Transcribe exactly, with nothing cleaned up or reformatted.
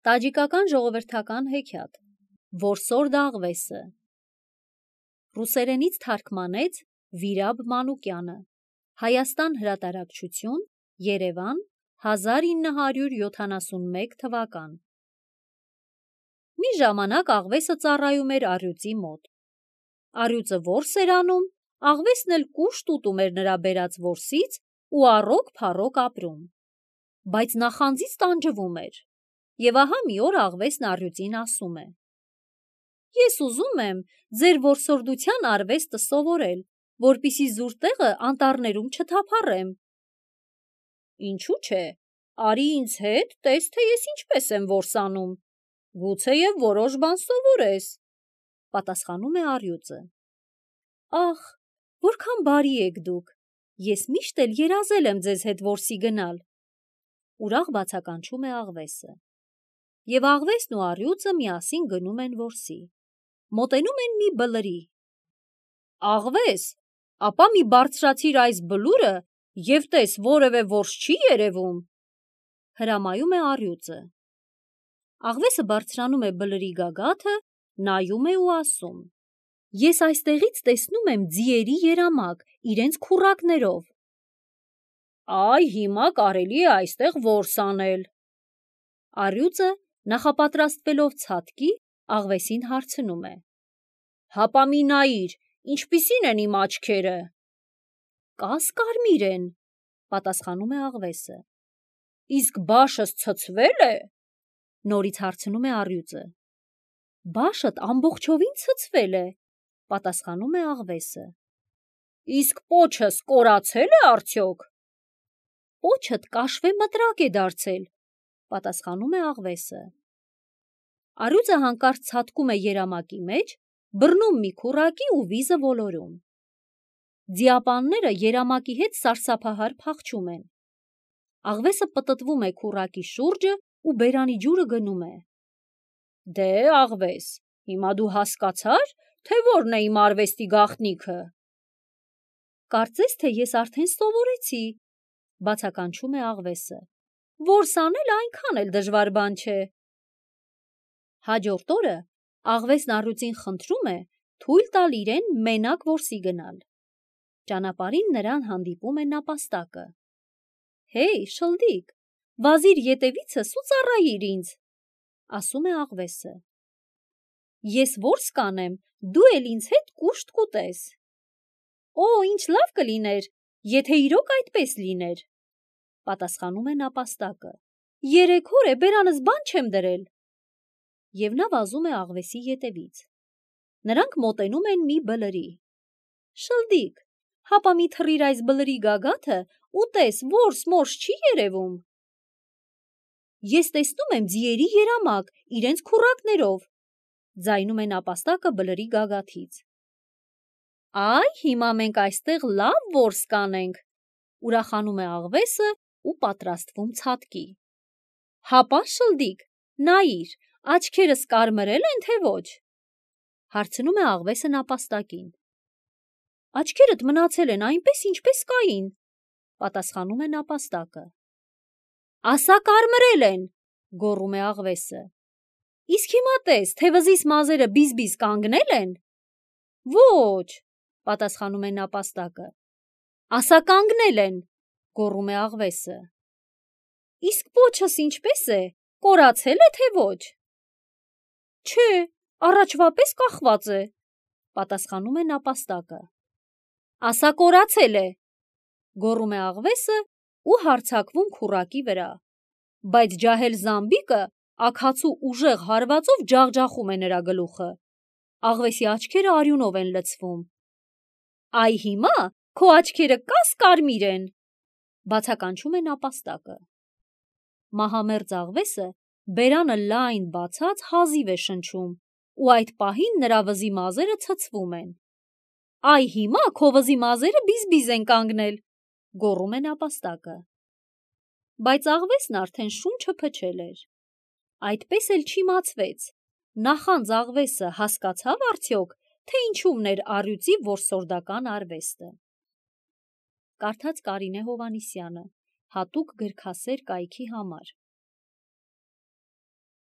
Տաջիկական ժողովրդական հեքիաթ Որսորդ աղվեսը Ռուսերենից թարգմանեց Վիրաբ Մանուկյանը Հայաստան հրատարակչություն Երևան հազար ինը հարյուր յոթանասունմեկ թվական Մի ժամանակ աղվեսը ծառայում էր առյուծի մոտ Առյուծը որս էր անում, աղվեսն էլ կուշտ ուտում էր նրա բերած որսից ու առոք փառոք ապրում Բայց նախանձից տանջվում էր Եվ ահա մի օր աղվեսն առյուծին ասում է. Ես ուզում եմ ձեր որսորդության արվեստը սովորել, որպեսզի զուր տեղը անտառներում չթափառեմ։ Ինչու՞ չէ, արի ինձ հետ, տես թե ես ինչպես եմ որս անում, գուցեև որոշ բան սովորես, պատասխանում է առյուծը։ Ախ, որքան բարի եք դուք, ես միշտ էլ երազել եմ ձեզ հետ որսի գնալ, ուրախ բացականչում է աղվեսը։ Եվ աղվեսն ու առյուծը միասին գնում են որսի, մոտենում են մի բլրի։ Աղվես, ապա մի բարձրացիր այս բլուրը և տես որևէ որս չի երևում, հրամայում է առյուծը։ Աղվեսը բարձրանում է բլրի գագաթը, նայում է ու ասում. Ես այստեղից տեսնում եմ ձիերի երամակ, իրենց քուռակներով։ Այ հիմա կարելի է այստեղ որս անել։ Առյուծը նախապատրաստվելով ցատկի, աղվեսին հարցնում է. Հապա մի նայիր, ինչպիսին են իմ աչքերը։ Կաս-կարմիր են, պատասխանում է աղվեսը։ Իսկ բաշս ցցվե՞լ է, նորից հարցնում է առյուծը։ Բաշդ ամբողջովին ցցվել է, պատասխանում է աղվեսը։ Իսկ պոչս կորացե՞լ է արդյոք։ Պոչդ կաշվե մտրակ է դարձել, պատասխանում է աղվեսը։ Առյուծը հանկարծ ցատկում է երամակի մեջ, բռնում մի քուռակի ու վիզը ոլորում։ Ձիապանները երամակի հետ սարսափահար փախչում են։ Աղվեսը պտտվում է քուռակի շուրջը ու բերանի ջուրը գնում է։ Դե աղվես, հիմա դու հասկացա՞ր, թե որն է իմ արվեստի գաղտնիքը։ Կարծես թե ես արդեն սովորեցի, բացականչում է աղվեսը։ Որս անել այնքան էլ դժվար բան չէ։ Հաջորդ օրը աղվեսն առյուծին խնդրում է թույլ տալ իրեն մենակ որսի գնալ։ Ճանապարհին նրան հանդիպում է նապաստակը։ Հեյ, շլդիկ, վազիր ետևիցս ու ծառայիր ինձ, ասում է աղվեսը։ Ես որս կանեմ, դու էլ ինձ հետ կուշտ կուտես։ Օ, ինչ լավ կլիներ, եթե իրոք այդպես լիներ, պատասխանում է նապաստակը։ Երեք օր է բերանս բան չեմ դրել։ Եվ նա վազում է աղվեսի ետևից։ Նրանք մոտենում են մի բլրի։ Շլդիկ, հապա մի թռիր այս բլրի գագաթը ու տես որս մորս չի երևում։ Ես տեսնում եմ ձիերի երամակ, իրենց քուռակներով, ձայնում է նապաստակը բլրի գագաթից։ Այ հիմա մենք այստեղ լավ որս կանենք, ուրախանում է աղվեսը ու պատրաստվում ցատկի։ Հապա շլդիկ, նայիր, աչքերս կարմրել են, թե ոչ, հարցնում է աղվեսը նապաստակին։ Աչքերդ մնացել են այնպես, ինչպես կային, պատասխանում է նապաստակը։ Ասա կարմրել են, գոռում է աղվեսը։ Իսկ հիմա տես, թե վզիս մազերը բիզ-բիզ կանգնե՞լ են։ Ոչ, պատասխանում է նապաստակը։ Ասա կանգնել են, գոռում է աղվեսը։ Իսկ պոչս ինչպես է, կորացե՞լ է, թե ոչ։ Չէ, առաջվա պես կախված է, պատասխանում է նապաստակը։ Ասա կորացել է, գոռում է աղվեսը ու հարձակվում քուռակի վրա, բայց ջահել զամբիկը աքացու ուժեղ հարվածով ջախջախում է նրա գլուխը։ Աղվեսի աչքերը արյունով են լցվում։ Այ հիմա քո աչքերը կաս-կարմիր են, բացականչում է նապաստակը։ Մահամերձ աղվեսը բերանը լայն բացած հազիվ է շնչում ու այդ պահին նրա վզի մազերը ցցվում են։ Այ հիմա քո վզի մազերը բիզ-բիզ են կանգնել, գոռում է նապաստակը։ Բայց աղվեսն արդեն շունչը փչել էր։ Այդպես էլ չիմացվեց, նախանձ աղվեսը հասկացավ արդյոք, թե ինչումն էր առյուծի որսորդական արվեստը։ Կարդաց Կարինե Հովհաննիսյանը, հատուկ գրքասեր կայքի համար։